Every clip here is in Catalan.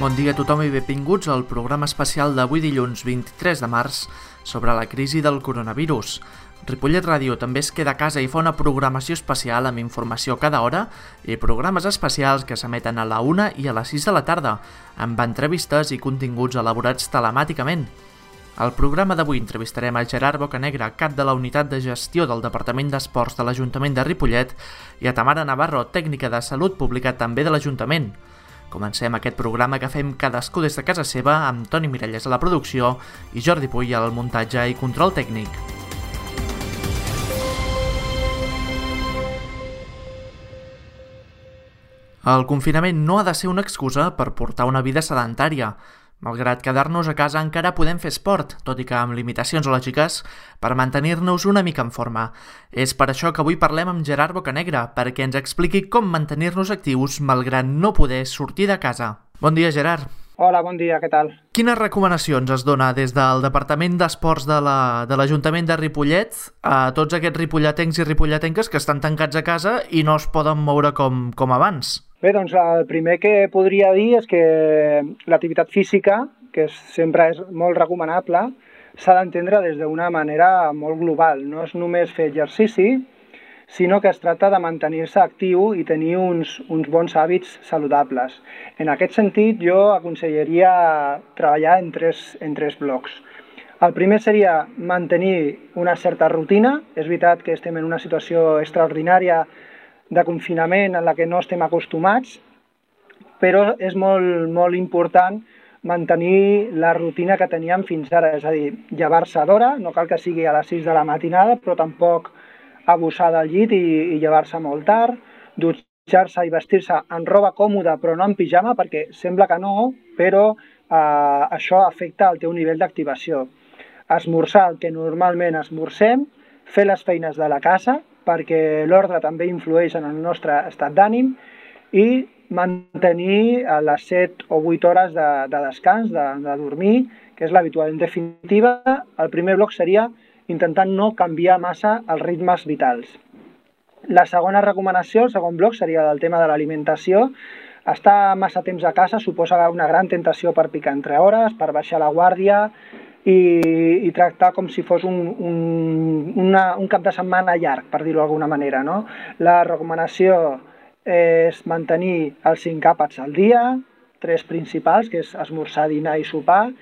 Bon dia a tothom i benvinguts al programa especial d'avui dilluns 23 de març sobre la crisi del coronavirus. Ripollet Ràdio també es queda a casa i fa una programació especial amb informació cada hora i programes especials que s'emeten a la 1 i a les 6 de la tarda, amb entrevistes i continguts elaborats telemàticament. Al programa d'avui entrevistarem a Gerard Bocanegra, cap de la Unitat de Gestió del Departament d'Esports de l'Ajuntament de Ripollet, i a Tamara Navarro, tècnica de Salut Pública també de l'Ajuntament. Comencem aquest programa que fem cadascú des de casa seva amb Toni Miralles a la producció i Jordi Puy al muntatge i control tècnic. El confinament no ha de ser una excusa per portar una vida sedentària. Malgrat quedar-nos a casa encara podem fer esport, tot i que amb limitacions lògiques, per mantenir-nos una mica en forma. És per això que avui parlem amb Gerard Bocanegra, perquè ens expliqui com mantenir-nos actius malgrat no poder sortir de casa. Bon dia, Gerard. Hola, bon dia, què tal? Quines recomanacions es dona des del Departament d'Esports de l'Ajuntament de Ripollet a tots aquests ripolletencs i ripolletenques que estan tancats a casa i no es poden moure com abans? Bé, doncs el primer que podria dir és que l'activitat física, que sempre és molt recomanable, s'ha d'entendre des d'una manera molt global. No és només fer exercici, sinó que es tracta de mantenir-se actiu i tenir uns bons hàbits saludables. En aquest sentit, jo aconsellaria treballar en tres blocs. El primer seria mantenir una certa rutina. És veritat que estem en una situació extraordinària de confinament en la que no estem acostumats, però és molt important mantenir la rutina que teníem fins ara, és a dir, llevar-se d'hora, no cal que sigui a les 6 de la matinada, però tampoc abusar del llit i llevar-se molt tard, dutxar-se i vestir-se en roba còmoda però no en pijama, perquè sembla que no, però això afecta el teu nivell d'activació. Esmorzar el que normalment esmorzem, fer les feines de la casa, perquè l'ordre també influeix en el nostre estat d'ànim, i mantenir les 7 o 8 hores de descans, de dormir, que és l'habitual. En definitiva, el primer bloc seria intentant no canviar massa els ritmes vitals. La segona recomanació, el segon bloc, seria el tema de l'alimentació. Estar massa temps a casa suposa una gran tentació per picar entre hores, per baixar la guàrdia i tractar com si fos un cap de setmana llarg, per dir-ho d'alguna manera, no? La recomanació és mantenir els 5 àpats al dia, 3 principals, que és esmorzar, dinar i sopar,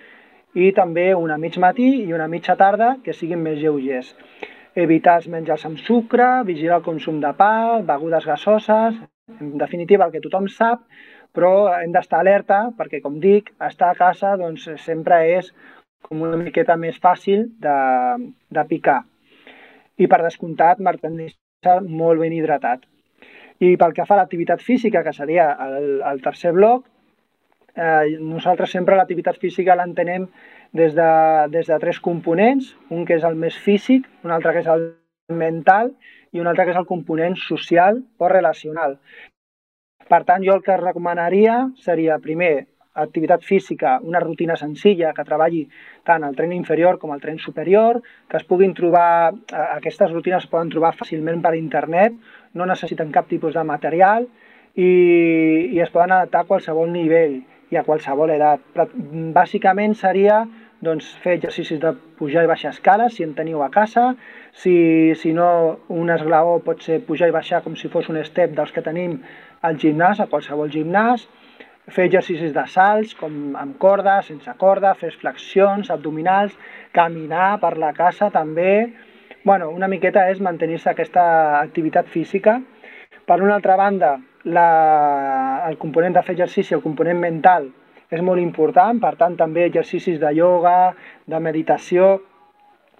i també una mig matí i una mitja tarda que siguin més lleugers. Evitar els menjars amb sucre, vigilar el consum de pa, begudes gasoses, en definitiva el que tothom sap, però hem d'estar alerta perquè, com dic, estar a casa doncs, sempre és com una miqueta més fàcil de picar. I per descomptat, mantenir-se molt ben hidratat. I pel que fa a l'activitat física, que seria el tercer bloc, nosaltres sempre l'activitat física l'entenem des de 3 components, un que és el més físic, un altre que és el mental i un altre que és el component social o relacional. Per tant, jo el que recomanaria seria, primer, activitat física, una rutina senzilla que treballi tant el tren inferior com el tren superior, que es puguin trobar, aquestes rutines es poden trobar fàcilment per internet, no necessiten cap tipus de material i es poden adaptar a qualsevol nivell i a qualsevol edat. Però, bàsicament seria fer exercicis de pujar i baixar escales, si en teniu a casa, si no un esglaó pot ser pujar i baixar com si fos un step dels que tenim al gimnàs, a qualsevol gimnàs, fer exercicis de salts, com amb corda, sense corda, fer flexions, abdominals, caminar per la casa també. Una miqueta és mantenir-se aquesta activitat física. Per una altra banda, el component de fer exercici, el component mental, és molt important, per tant també exercicis de ioga, de meditació,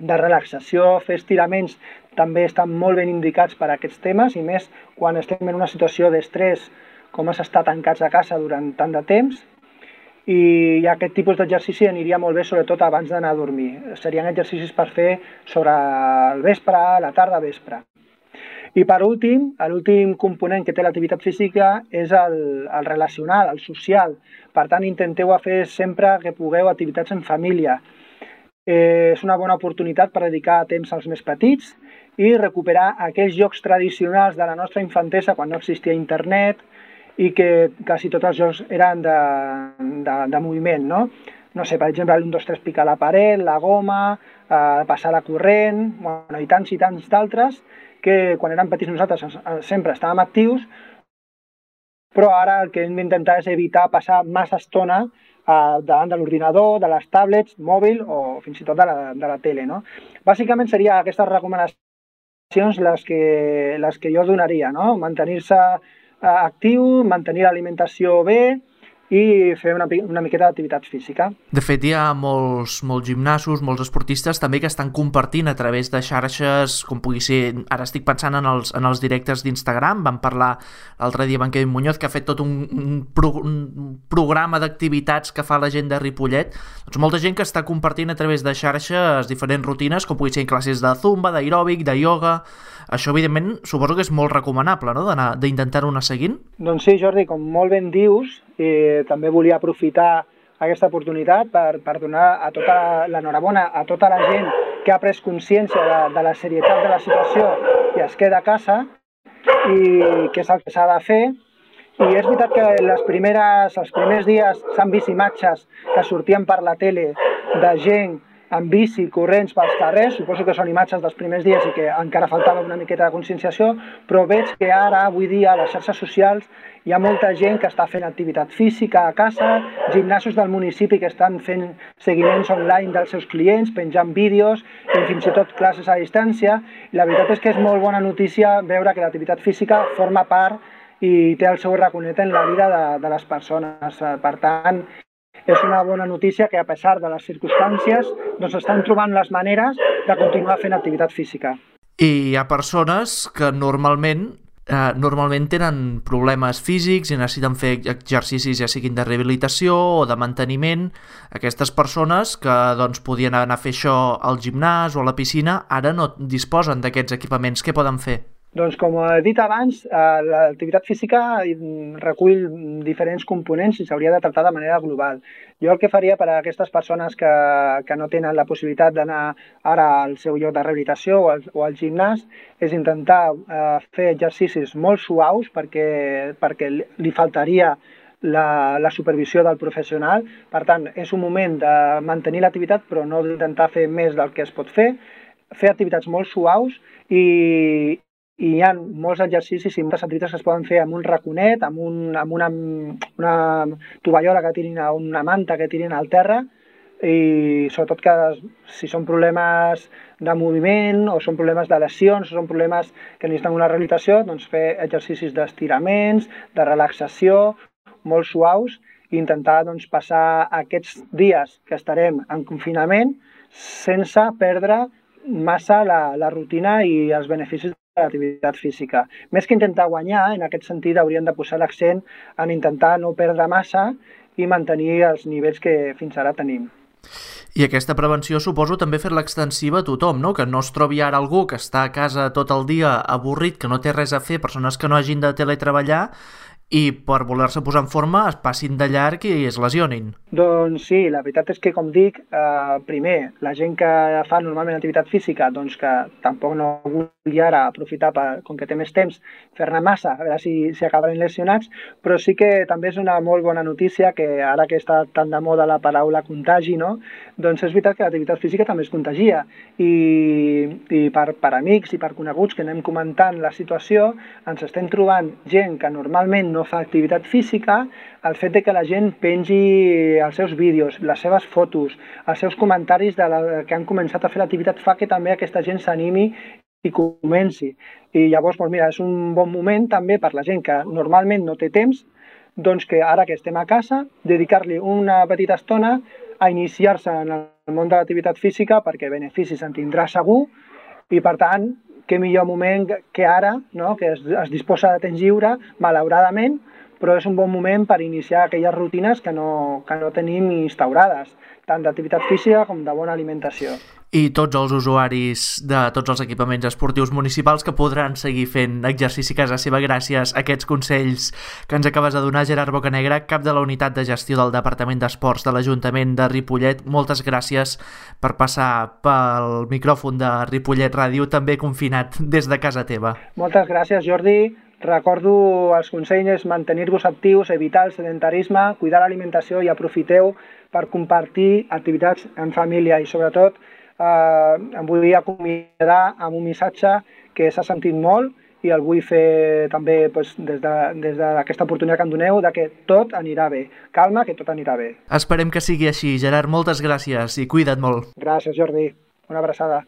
de relaxació, fer estiraments també estan molt ben indicats per a aquests temes, i més quan estem en una situació d'estrès com és estar tancats a casa durant tant de temps, i aquest tipus d'exercici aniria molt bé sobretot abans d'anar a dormir. Serien exercicis per fer sobre el vespre, la tarda, vespre. I per últim, l'últim component que té l'activitat física és el relacional, el social. Per tant, intenteu fer sempre que pugueu activitats en família. És una bona oportunitat per dedicar temps als més petits i recuperar aquells jocs tradicionals de la nostra infantesa quan no existia internet i que quasi tots els jocs eren de moviment, no? No sé, per exemple, l'1, 2, 3 picar la paret, la goma, passar la corrent, bueno, i tants d'altres que quan érem petits nosaltres sempre estàvem actius, però ara el que hem d'intentar és evitar passar massa estona davant de l'ordinador, de les tablets, mòbil o fins i tot de la tele, no? Bàsicament seria aquestes recomanacions les que jo donaria, no? Mantenir-se actiu, mantenir l'alimentació bé i fer una miqueta d'activitat física. De fet, hi ha molts gimnasos, molts esportistes també que estan compartint a través de xarxes, com pugui ser, ara estic pensant en els directes d'Instagram, vam parlar l'altre dia amb en Kevin Muñoz, que ha fet tot un programa d'activitats que fa la gent de Ripollet. Doncs molta gent que està compartint a través de xarxes diferents rutines, com pugui ser classes de zumba, d'aeròbic, de ioga. Això, evidentment, suposo que és molt recomanable, no?, d'intentar-ho anar seguint. Doncs sí, Jordi, com molt ben dius, també volia aprofitar aquesta oportunitat per donar a tota l'enhorabona a tota la gent que ha pres consciència de la serietat de la situació i es queda a casa i què és el que s'ha de fer. I és veritat que els primers dies s'han vist imatges que sortien per la tele de gent amb bici, corrents pels carrers, suposo que són imatges dels primers dies i que encara faltava una miqueta de conscienciació, però veig que ara, avui dia, a les xarxes socials hi ha molta gent que està fent activitat física a casa, gimnasos del municipi que estan fent seguiments online dels seus clients, penjant vídeos i fins i tot classes a distància. I la veritat és que és molt bona notícia veure que l'activitat física forma part i té el seu raconet en la vida de les persones. Per tant, és una bona notícia que a pesar de les circumstàncies doncs estan trobant les maneres de continuar fent activitat física. I hi ha persones que normalment tenen problemes físics i necessiten fer exercicis ja siguin de rehabilitació o de manteniment. Aquestes persones que doncs, podien anar a fer això al gimnàs o a la piscina ara no disposen d'aquests equipaments. Què poden fer? Doncs com he dit abans, l'activitat física recull diferents components i s'hauria de tractar de manera global. Jo el que faria per a aquestes persones que no tenen la possibilitat d'anar ara al seu lloc de rehabilitació o al gimnàs és intentar fer exercicis molt suaus perquè li faltaria la supervisió del professional. Per tant, és un moment de mantenir l'activitat però no d'intentar fer més del que es pot fer activitats molt suaus i hi ha molts exercicis i moltes activitats que es poden fer amb un raconet, amb una tovallola que tirin a una manta que tirin al terra i sobretot que si són problemes de moviment o són problemes de lesions o són problemes que necessiten una rehabilitació, doncs fer exercicis d'estiraments, de relaxació, molt suaus i intentar doncs, passar aquests dies que estarem en confinament sense perdre massa la rutina i els beneficis de l'activitat física. Més que intentar guanyar, en aquest sentit hauríem de posar l'accent en intentar no perdre massa i mantenir els nivells que fins ara tenim. I aquesta prevenció suposo també fer-la extensiva a tothom, no? Que no es trobi ara algú que està a casa tot el dia avorrit, que no té res a fer, persones que no hagin de teletreballar i per voler-se posar en forma es passin de llarg i es lesionin. Doncs sí, la veritat és que, com dic, primer, la gent que fa normalment activitat física, doncs que tampoc no vulgui ara aprofitar, com que té més temps, fer-ne massa, a veure si acaben lesionats, però sí que també és una molt bona notícia que ara que està tan de moda la paraula contagi, no? Doncs és veritat que l'activitat física també es contagia i per amics i per coneguts que anem comentant la situació, ens estem trobant gent que normalment no fa activitat física, el fet de que la gent pengi els seus vídeos, les seves fotos, els seus comentaris que han començat a fer l'activitat fa que també aquesta gent s'animi i comenci. I llavors, doncs mira, és un bon moment també per la gent que normalment no té temps, doncs que ara que estem a casa, dedicar-li una petita estona a iniciar-se en el món de l'activitat física perquè beneficis en tindrà segur i per tant, què millor moment que ara, no? Que es disposa de temps lliure, malauradament, però és un bon moment per iniciar aquelles rutines que no tenim instaurades, tant d'activitat física com de bona alimentació. I tots els usuaris de tots els equipaments esportius municipals que podran seguir fent exercici a casa seva gràcies a aquests consells que ens acabes de donar, Gerard Bocanegra, cap de la unitat de gestió del Departament d'Esports de l'Ajuntament de Ripollet. Moltes gràcies per passar pel micròfon de Ripollet Ràdio, també confinat des de casa teva. Moltes gràcies, Jordi. recordo els consells: mantenir-vos actius, evitar el sedentarisme, cuidar l'alimentació i aprofiteu per compartir activitats en família. I sobretot em vull acomiadar amb un missatge que s'ha sentit molt i el vull fer també des d'aquesta oportunitat que em doneu, de que tot anirà bé. Calma, que tot anirà bé. Esperem que sigui així. Gerard, moltes gràcies i cuida't molt. Gràcies, Jordi. Una abraçada.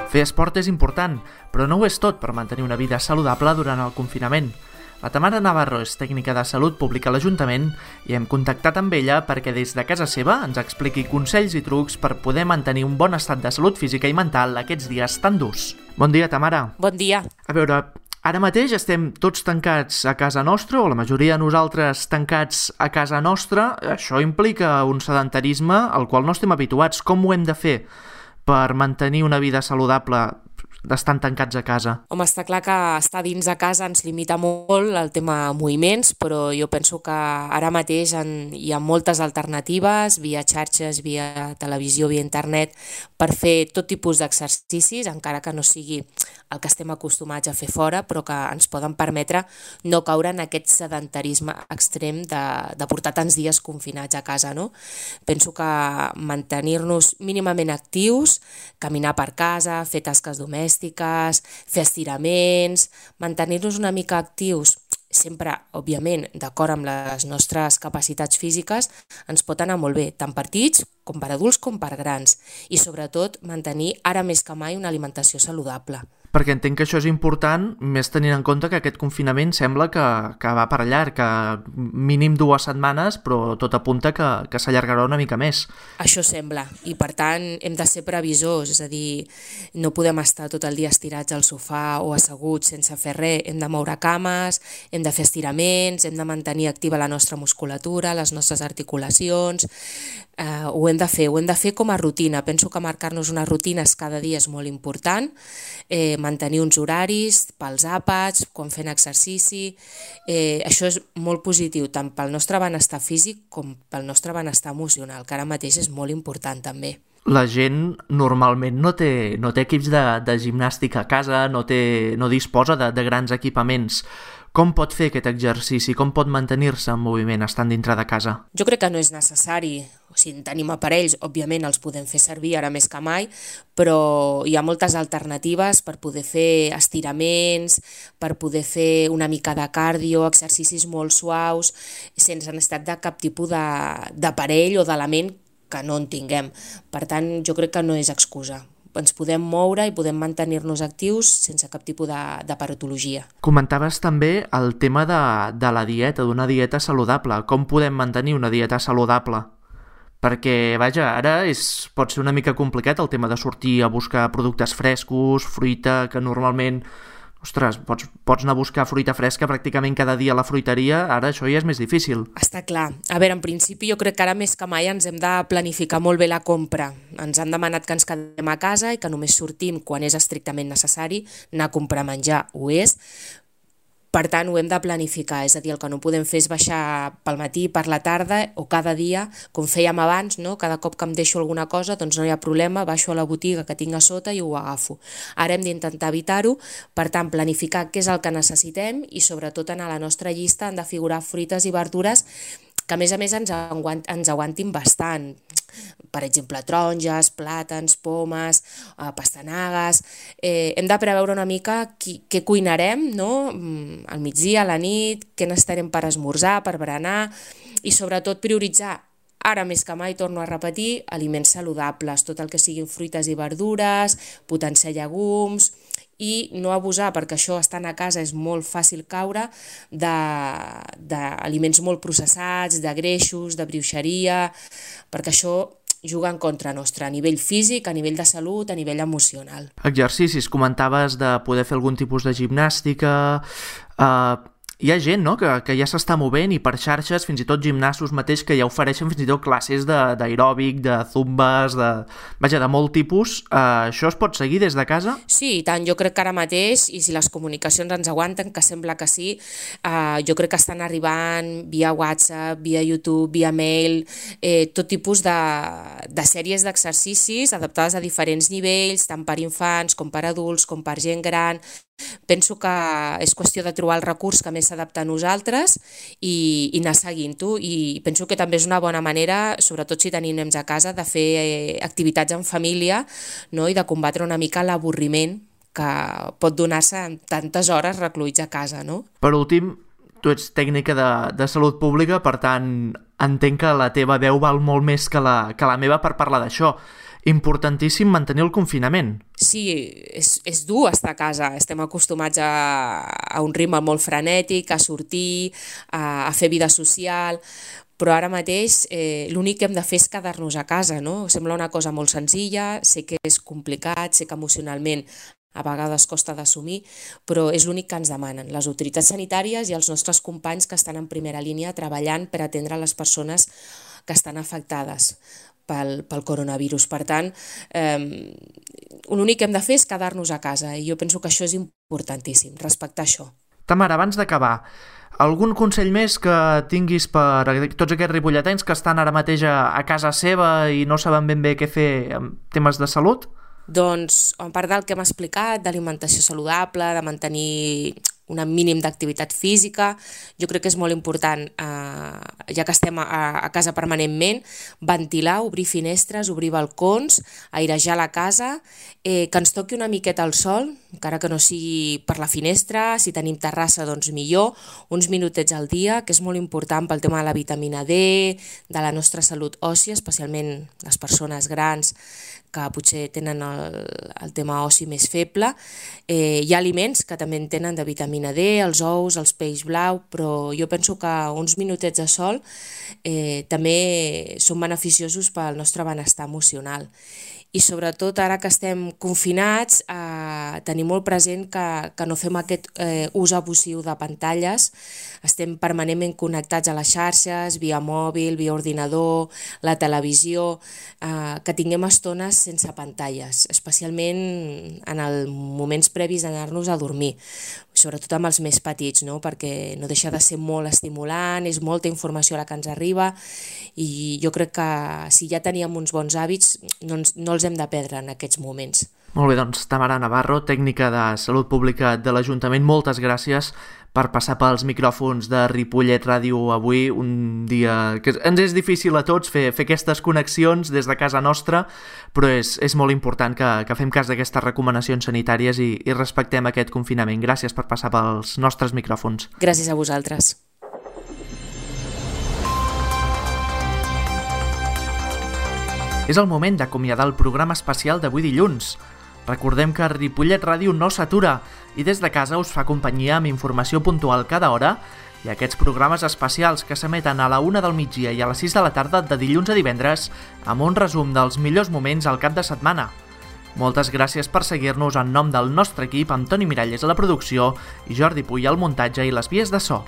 Fer esport és important, però no ho és tot per mantenir una vida saludable durant el confinament. La Tamara Navarro és tècnica de salut pública a l'Ajuntament i hem contactat amb ella perquè des de casa seva ens expliqui consells i trucs per poder mantenir un bon estat de salut física i mental aquests dies tan durs. Bon dia, Tamara. Bon dia. A veure, ara mateix estem tots tancats a casa nostra, o la majoria de nosaltres tancats a casa nostra. Això implica un sedentarisme al qual no estem habituats. Com ho hem de fer per mantenir una vida saludable estan tancats a casa? Home, està clar que estar dins de casa ens limita molt el tema moviments, però jo penso que ara mateix hi ha moltes alternatives, via xarxes, via televisió, via internet, per fer tot tipus d'exercicis, encara que no sigui el que estem acostumats a fer fora, però que ens poden permetre no caure en aquest sedentarisme extrem de portar tants dies confinats a casa, no? Penso que mantenir-nos mínimament actius, caminar per casa, fer tasques domèstiques, fer estiraments, mantenir-nos una mica actius, sempre, òbviament, d'acord amb les nostres capacitats físiques, ens pot anar molt bé, tant per petits com per adults com per grans, i sobretot mantenir ara més que mai una alimentació saludable. Perquè entenc que això és important, més tenint en compte que aquest confinament sembla que va per llarg, que mínim 2 setmanes, però tot apunta que s'allargarà una mica més. Això sembla, i per tant hem de ser previsors, és a dir, no podem estar tot el dia estirats al sofà o asseguts sense fer res, hem de moure cames, hem de fer estiraments, hem de mantenir activa la nostra musculatura, les nostres articulacions, ho hem de fer com a rutina. Penso que marcar-nos unes rutines cada dia és molt important, mantenir uns horaris pels àpats, quan fent exercici, això és molt positiu tant pel nostre benestar físic com pel nostre benestar emocional, que ara mateix és molt important també. La gent normalment no té equips de gimnàstica a casa, no disposa de grans equipaments. Com pot fer aquest exercici? Com pot mantenir-se en moviment estant dintre de casa? Jo crec que no és necessari. Si tenim aparells, òbviament els podem fer servir ara més que mai, però hi ha moltes alternatives per poder fer estiraments, per poder fer una mica de cardio, exercicis molt suaus, sense necessitat de cap tipus d'aparell o d'element que no en tinguem. Per tant, jo crec que no és excusa. Ens podem moure i podem mantenir-nos actius sense cap tipus de patologia. Comentaves també el tema de la dieta, d'una dieta saludable. Com podem mantenir una dieta saludable? Perquè, vaja, ara pot ser una mica complicat el tema de sortir a buscar productes frescos, fruita, que normalment, ostres, pots anar a buscar fruita fresca pràcticament cada dia a la fruiteria, ara això ja és més difícil. Està clar. A veure, en principi jo crec que ara més que mai ens hem de planificar molt bé la compra. Ens han demanat que ens quedem a casa i que només sortim quan és estrictament necessari, anar a comprar menjar ho és. Per tant, ho hem de planificar, és a dir, el que no podem fer és baixar pel matí, per la tarda o cada dia, com fèiem abans, no? Cada cop que em deixo alguna cosa, doncs no hi ha problema, baixo a la botiga que tinc a sota i ho agafo. Ara hem d'intentar evitar-ho, per tant, planificar què és el que necessitem i sobretot en la nostra llista han de figurar fruites i verdures que a més ens aguantin bastant. Per exemple, taronges, plàtans, pomes, pastanagues. Hem de preveure una mica què cuinarem, no? Al migdia, a la nit, què necessitarem per esmorzar, per berenar i sobretot prioritzar. Ara més que mai, torno a repetir, aliments saludables, tot el que siguin fruites i verdures, potenciar llegums i no abusar, perquè això estant a casa és molt fàcil caure d'aliments molt processats, de greixos, de brioixeria, perquè això juga en contra nostra, a nivell físic, a nivell de salut, a nivell emocional. Exercicis, comentaves de poder fer algun tipus de gimnàstica. hi ha gent, no?, que ja s'està movent i per xarxes, fins i tot gimnasos mateix, que ja ofereixen fins i tot classes d'aeròbic, de zumbes, de molt tipus. Això es pot seguir des de casa? Sí, i tant. Jo crec que ara mateix, i si les comunicacions ens aguanten, que sembla que sí, jo crec que estan arribant via WhatsApp, via YouTube, via mail, tot tipus de sèries d'exercicis adaptades a diferents nivells, tant per infants com per adults, com per gent gran. Penso que és qüestió de trobar el recurs que més s'adapta a nosaltres i anar seguint-ho, i penso que també és una bona manera, sobretot si tenim nens a casa, de fer activitats en família, no?, i de combatre una mica l'avorriment que pot donar-se en tantes hores recluïts a casa, no? Per últim, tu ets tècnica de salut pública, per tant entenc que la teva veu val molt més que la meva per parlar d'això. Importantíssim mantenir el confinament. Sí, és dur estar a casa. Estem acostumats a un ritme molt frenètic, a sortir, a fer vida social, però ara mateix l'únic que hem de fer és quedar-nos a casa, no? Sembla una cosa molt senzilla, sé que és complicat, sé que emocionalment a vegades costa d'assumir, però és l'únic que ens demanen les autoritats sanitàries i els nostres companys que estan en primera línia treballant per atendre les persones que estan afectades pel coronavirus. Per tant, l'únic que hem de fer és quedar-nos a casa, i jo penso que això és importantíssim, respectar això. Tamara, abans d'acabar, algun consell més que tinguis per tots aquests ripolletens que estan ara mateix a casa seva i no saben ben bé què fer en temes de salut? Doncs, a part del que hem explicat, d'alimentació saludable, de mantenir un mínim d'activitat física, jo crec que és molt important, ja que estem a casa permanentment, ventilar, obrir finestres, obrir balcons, airejar la casa, que ens toqui una miqueta el sol, encara que no sigui per la finestra, si tenim terrassa doncs millor, uns minutets al dia, que és molt important pel tema de la vitamina D, de la nostra salut òssia, especialment les persones grans que potser tenen el tema ossi més feble. Hi ha aliments que també en tenen de vitamina D, els ous, els peix blau, però jo penso que uns minutets de sol també són beneficiosos pel nostre benestar emocional. I sobretot ara que estem confinats, tenir molt present que no fem aquest ús abusiu de pantalles, estem permanentment connectats a les xarxes, via mòbil, via ordinador, la televisió, que tinguem estones sense pantalles, especialment en els moments previs d'anar-nos a dormir, sobretot amb els més petits, no? Perquè no deixa de ser molt estimulant, és molta informació la que ens arriba, i jo crec que si ja teníem uns bons hàbits no els hem de perdre en aquests moments. Molt bé, doncs Tamara Navarro, tècnica de salut pública de l'Ajuntament, moltes gràcies per passar pels micròfons de Ripollet Ràdio avui, un dia que ens és difícil a tots fer aquestes connexions des de casa nostra, però és molt important que fem cas d'aquestes recomanacions sanitàries i respectem aquest confinament. Gràcies per passar pels nostres micròfons. Gràcies a vosaltres. És el moment d'acomiadar el programa especial d'avui dilluns. Recordem que Ripollet Ràdio no s'atura i des de casa us fa companyia amb informació puntual cada hora i aquests programes especials que s'emeten a la 1 del migdia i a les 6 de la tarda de dilluns a divendres amb un resum dels millors moments al cap de setmana. Moltes gràcies per seguir-nos en nom del nostre equip, amb Toni Miralles a la producció i Jordi Puy al muntatge i les vies de so.